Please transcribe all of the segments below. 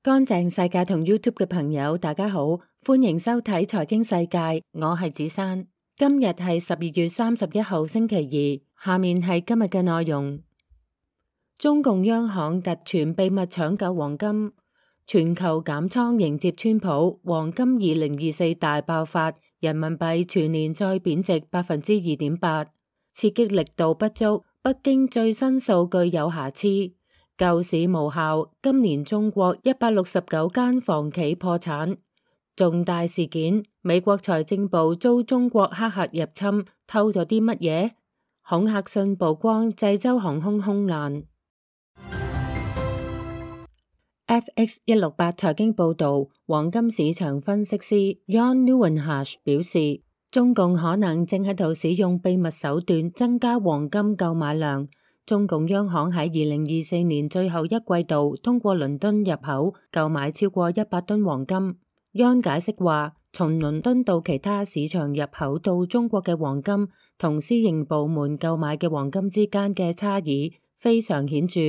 乾淨世界同 YouTube 嘅朋友，大家好，歡迎收睇財經世界，我係子珊。今日係12月31號星期二，下面係今日嘅內容。中共央行突傳秘密搶救黃金，全球減倉迎接川普，黃金2024大爆發，人民幣全年再貶值2.8%，刺激力度不足，北京最新數據有瑕疵。救市無效，今年中國169間房企破產。重大事件，美國財政部遭中國黑客入侵，偷咗啲乜嘢？恐嚇信曝光濟州航空空難。FX168 財經報道，黃金市場分析師 Jan Nieuwenhuis 表示，中共可能正喺度使用秘密手段增加黃金購買量。中共央行喺2024年最後一季度通過倫敦入口購買超過100噸黃金。Jan解釋話，從倫敦到其他市場入口到中國嘅黃金同私營部門購買嘅黃金之間嘅差異非常顯著，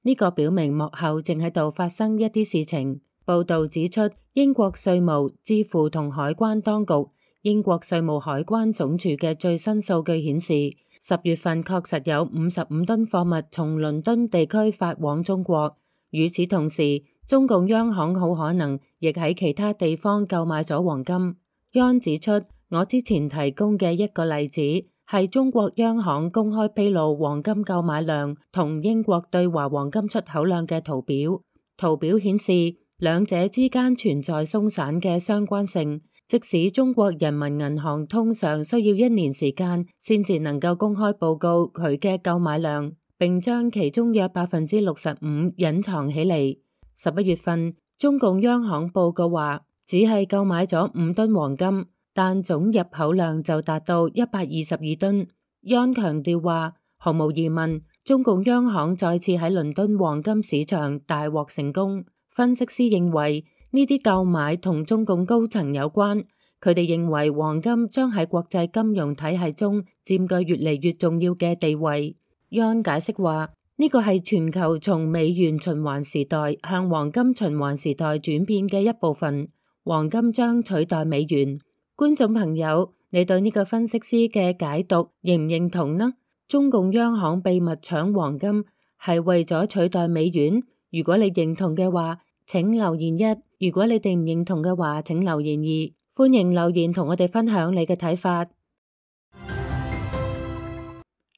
呢個表明幕後正喺度發生一啲事情。報道指出，英國稅務、支付同海關當局，英國稅務海關總署嘅最新數據顯示，10月份確實有55噸貨物從倫敦地區發往中國。與此同時，中共央行好可能亦喺其他地方購買咗黃金。Jan指出，我之前提供嘅一個例子係中國央行公開披露黃金購買量同英國對華黃金出口量嘅圖表。圖表顯示兩者之間存在鬆散嘅相關性。即使中國人民銀行通常需要1年時間先至能夠公開報告佢嘅購買量，並將其中約65%隱藏起嚟。11月份，中共央行報告話只係購買咗5噸黃金，但總入口量就達到122噸。Jan強調話，毫無疑問，中共央行再次喺倫敦黃金市場大獲成功。分析師認為，呢啲購買同中共高層有關，佢哋認為黃金將喺國際金融體系中佔據越嚟越重要嘅地位。Jan解釋話，呢個係全球從美元循環時代向黃金循環時代轉變嘅一部分，黃金將取代美元。觀眾朋友，你對呢個分析師嘅解讀認唔認同呢？中共央行秘密搶黃金係為咗取代美元？如果你認同嘅話，請留言1；如果你哋唔認同嘅話，請留言2。歡迎留言同我哋分享你嘅睇法。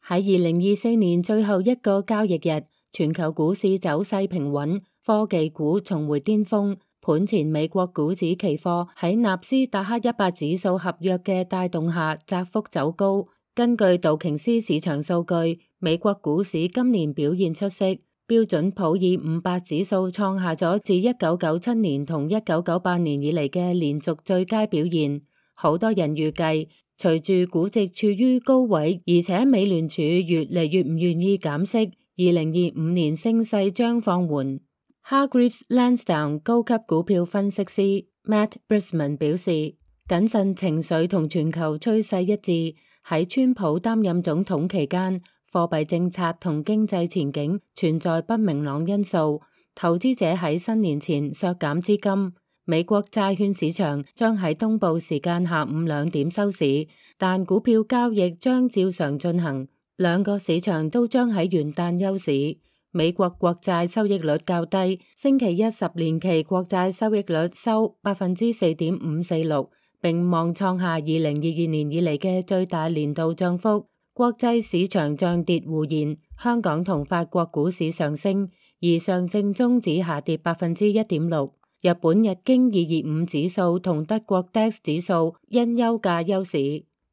喺2024年最後一個交易日，全球股市走勢平穩，科技股重回巔峰。盤前美國股指期貨喺納斯達克100指數合約嘅帶動下，窄幅走高。根據道瓊斯市場數據，美國股市今年表現出色。標準普爾500指數創下咗自1997年同1998年以嚟嘅連續最佳表現。好多人預計，隨住估值處於高位，而且美聯儲越嚟越唔願意減息，2025年升勢將放緩。Hargreaves Lansdown 高級股票分析師 Matt Brisman 表示，謹慎情緒同全球趨勢一致。喺川普擔任總統期間，貨幣政策同經濟前景存在不明朗因素，投資者喺新年前削減資金。美國債券市場將喺東部時間下午2點收市，但股票交易將照常進行。兩個市場都將喺元旦休市。美國國債收益率較低，星期一10年期國債收益率收4.546%，並望創下2022年以嚟嘅最大年度漲幅。國際市場漲跌互現，香港同法國股市上升，而上證綜指下跌1.6%。日本日經225指數同德國 DAX 指數因休假休市。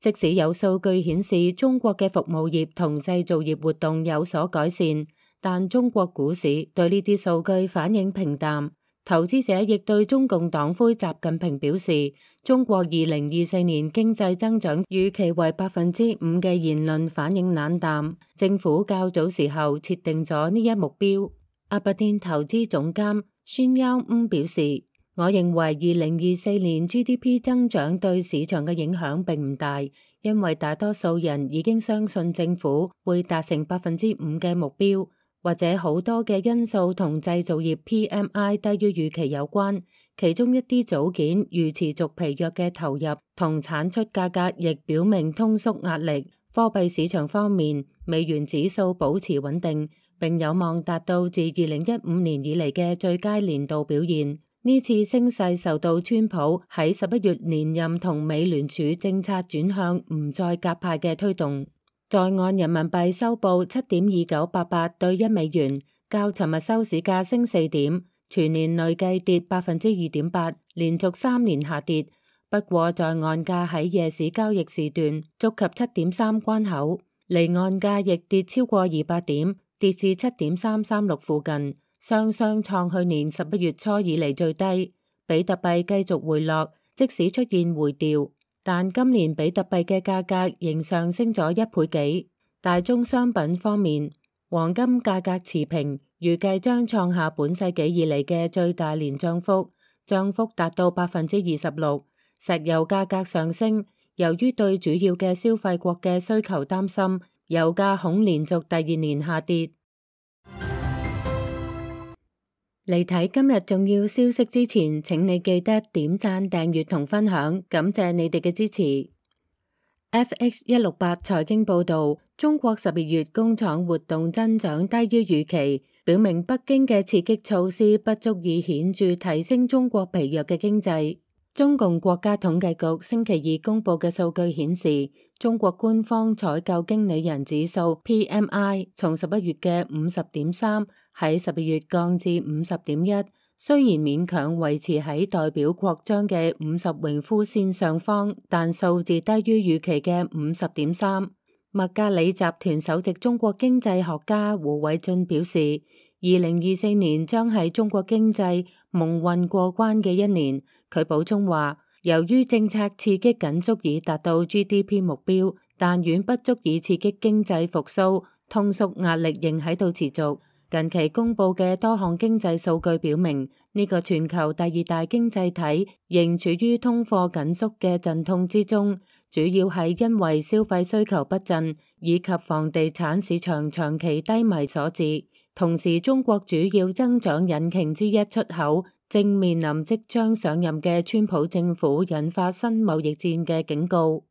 即使有數據顯示中國嘅服務業同製造業活動有所改善，但中國股市對呢啲數據反應平淡。投資者亦對中共黨魁習近平表示，中國2024年經濟增長預期為5%嘅言論反應冷淡。政府較早時候設定咗呢一目標。阿伯甸投資總監孫優吾表示，我認為2024年 GDP 增長對市場嘅影響並唔大，因為大多數人已經相信政府會達成5%嘅目標。或者好多嘅因素同製造業 PMI 低於預期有關，其中一啲組件如持續疲弱嘅投入同產出價格亦表明通縮壓力。貨幣市場方面，美元指數保持穩定，並有望達到自2015年以嚟嘅最佳年度表現。呢次升勢受到川普喺11月連任同美聯儲政策轉向唔再鴿派嘅推動。在岸人民幣收報7.2988對1美元，較尋日收市價升4點，全年累計跌2.8%，連續3年下跌。不過在岸價喺夜市交易時段觸及7.3關口，離岸價亦跌超過200點，跌至7.336附近，雙雙創去年11月初以嚟最低。比特幣繼續回落，即使出現回調，但今年比特幣嘅價格仍上升咗1倍幾。大宗商品方面，黃金價格持平，預計將創下本世紀以嚟嘅最大年漲幅，漲幅達到26%。石油價格上升，由於對主要嘅消費國嘅需求擔心，油價恐連續第2年下跌。嚟睇今日重要消息之前，請你記得點讚、訂閱同分享，感謝你哋嘅支持。FX168 財經報導，中國12月工廠活動增長低於預期，表明北京嘅刺激措施不足以顯著提升中國疲弱嘅經濟。中共國家統計局星期二公佈嘅數據顯示，中國官方採購經理人指數 PMI 從11月嘅50.3喺12月降至50.1，雖然勉強維持喺代表擴張嘅50榮枯線上方，但數字低於預期嘅50.3。麥格里集團首席中國經濟學家胡偉俊表示，2024年將係中國經濟蒙混過關嘅一年。佢補充話，由於政策刺激僅足以達到 GDP 目標，但遠不足以刺激經濟復甦，通縮壓力仍喺度持續。近期公佈嘅多項經濟數據表明，呢個全球第2大經濟體仍處於通貨緊縮嘅陣痛之中，主要係因為消費需求不振以及房地產市場長期低迷所致。同時，中國主要增長引擎之一出口正面臨即將上任嘅川普政府引發新貿易戰嘅警告。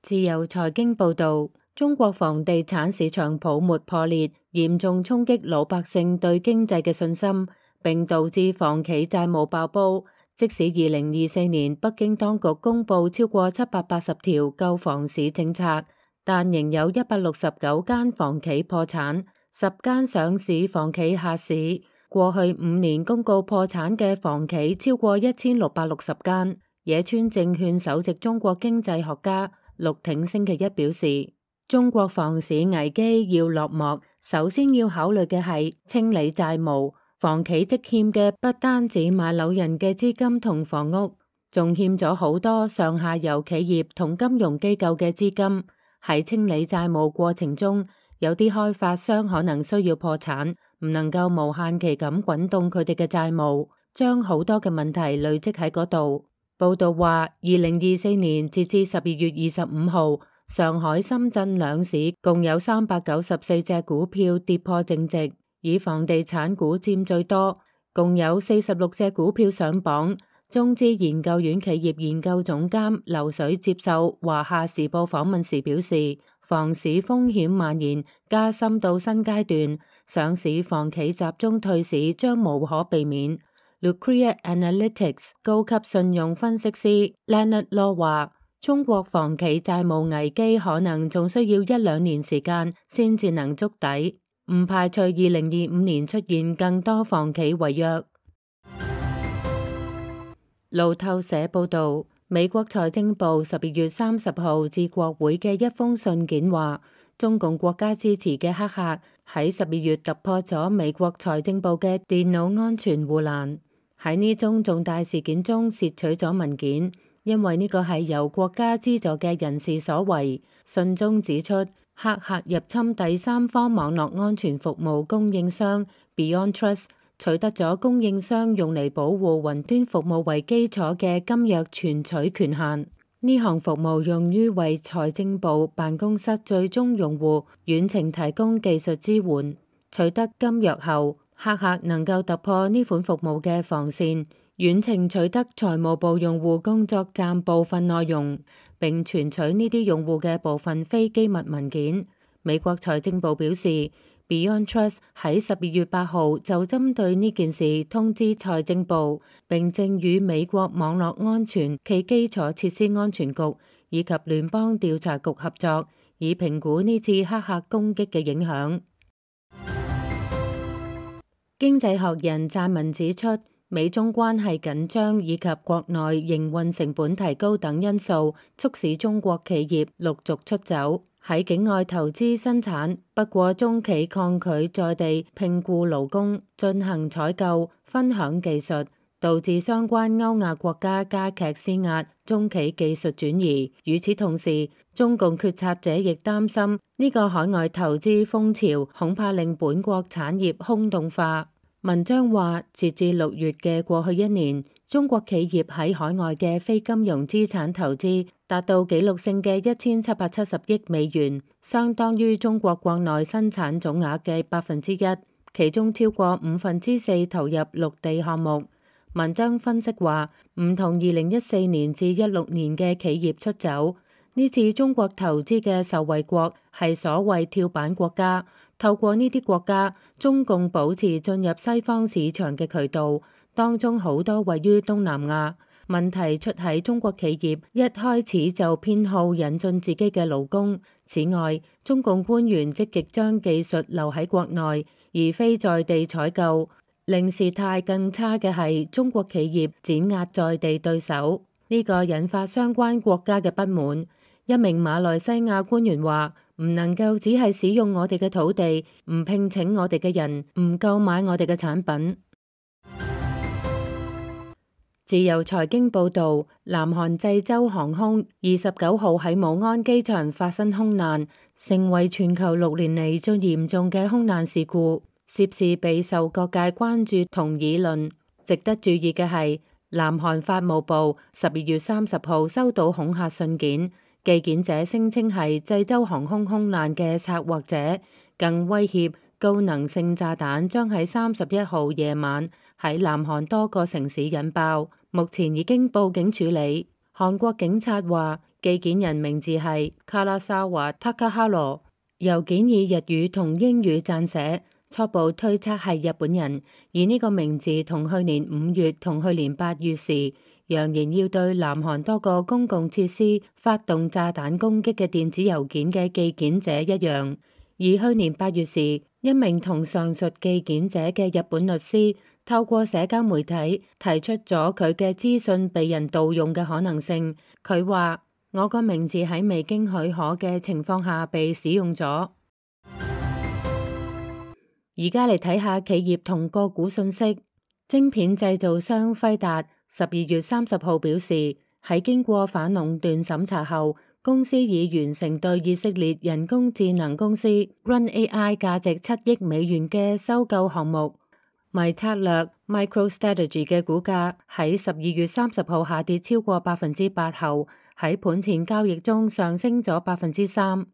自由財經報導，中國房地產市場泡沫破裂，嚴重衝擊老百姓對經濟嘅信心，並導致房企債務爆煲。即使2024年北京當局公佈超過780條救房市政策，但仍有169間房企破產，10間上市房企下市。過去5年公告破產嘅房企超過1660間。野村證券首席中國經濟學家陸挺星期一表示，中國房市危機要落幕，首先要考慮嘅係清理債務。房企積欠嘅不單止買樓人嘅資金同房屋，仲欠咗好多上下游企業同金融機構嘅資金。喺清理債務過程中，有啲開發商可能需要破產，唔能夠無限期咁滾動佢哋嘅債務，將好多嘅問題累積喺嗰度。報道話，2024年截至12月25號，上海、深圳兩市共有394隻股票跌破淨值，以房地產股佔最多，共有46隻股票上榜。中資研究院企業研究總監劉水接受華夏時報訪問時表示，房市風險蔓延加深到新階段，上市房企集中退市將無可避免。Lucrea Analytics 高級信用分析師 Leonard Law 話，中國房企債務危機可能仲需要1-2年時間先至能築底，唔排除2025年出現更多房企違約。路透社報導，美國財政部12月30號致國會嘅一封信件話，中共國家支持嘅黑客喺12月突破咗美國財政部嘅電腦安全護欄，喺呢宗重大事件中竊取咗文件，因為呢個係由國家資助嘅人士所為。信中指出，黑客入侵第三方網絡安全服務供應商 BeyondTrust，取得咗供應商用嚟保護雲端服務為基礎嘅金鑰存取權限。呢項服務用於為財政部辦公室最終用戶遠程提供技術支援。取得金約後，黑客能夠突破呢款服務嘅防線，遠程取得財務部用戶工作站部分內容，並存取呢啲用戶嘅部分非機密文件。美國財政部表示，Beyond Trust 喺12月8號就針對呢件事通知財政部，並正與美國網絡安全暨基礎設施安全局以及聯邦調查局合作，以評估呢次黑客攻擊嘅影響。經濟學人撰文指出，美中關係緊張以及國內營運成本提高等因素，促使中國企業陸續出走，喺境外投資生產。不過中企抗拒在地聘僱勞工、進行採購、分享技術，導致相關歐亞國家加劇施壓中企技術轉移。與此同時，中共決策者亦擔心呢個海外投資風潮恐怕令本國產業空洞化。文章話，截至6月嘅過去一年，中國企業喺海外嘅非金融資產投資達到紀錄性嘅1770億美元，相當於中國國內生產總額嘅1%，其中超過4%投入陸地項目。文章分析話，唔同2014年至16年嘅企業出走，呢次中國投資嘅受惠國係所謂跳板國家。透過呢啲國家，中共保持進入西方市場嘅渠道，當中好多位於東南亞。問題出喺中國企業一開始就偏好引進自己嘅勞工。此外，中共官員積極將技術留喺國內，而非在地採購。令事態更差嘅係中國企業碾壓在地對手，呢個引發相關國家嘅不滿。一名馬來西亞官員話：唔能夠只係使用我哋嘅土地，唔聘請我哋嘅人，唔購買我哋嘅產品。自由財經報導，南韓濟州航空29號喺武安機場發生空難，成為全球6年嚟最嚴重嘅空難事故，涉事備受各界關注同議論。值得注意嘅係，南韓法務部12月30號收到恐嚇信件。寄件者聲稱係濟州航空空難嘅策劃者，更威脅高能性炸彈將喺31號夜晚喺南韓多個城市引爆，目前已經報警處理。韓國警察話，寄件人名字係卡拉沙華·塔卡哈羅，郵件以日語同英語撰寫，初步推測係日本人，而呢個名字同去年5月同去年8月時揚言要對南韓多個公共設施發動炸彈攻擊嘅電子郵件嘅寄件者一樣。而去年8月時，一名同上述寄件者嘅日本律師透過社交媒體提出咗佢嘅資訊被人盜用嘅可能性。佢話：我個名字喺未經許可嘅情況下被使用咗。而家嚟睇下企業同個股信息。晶片製造商輝達12月30號表示，喺經過反壟斷審查後，公司已完成對以色列人工智能公司 Run AI 價值7億美元嘅收購項目。迷策略 MicroStrategy 嘅股價喺12月30號下跌超過8%後，喺盤前交易中上升咗3%。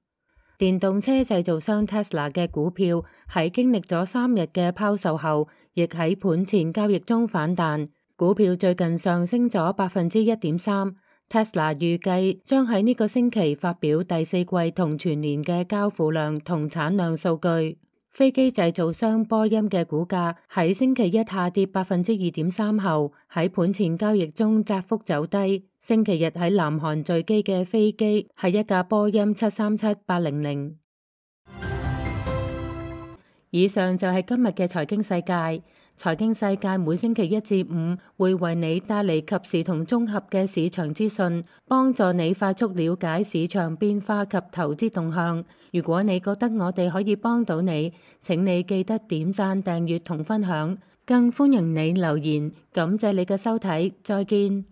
電動車製造商 Tesla 嘅股票喺經歷咗3日嘅拋售後，亦喺盤前交易中反彈，股票最近上升咗1.3%。Tesla 預計將喺呢個星期發表第4季同全年嘅交付量同產量數據。飛機製造商波音嘅股價喺星期一下跌2.3%後，喺盤前交易中窄幅走低。星期日喺南韓墜機嘅飛機係一架波音737-800。以上就係今日嘅財經世界。財經世界每星期1至5會為你帶嚟及時同綜合嘅市場資訊，幫助你快速了解市場變化及投資動向。如果你覺得我哋可以幫到你，請你記得點讚、訂閱同分享，更歡迎你留言。感謝你嘅收睇，再見。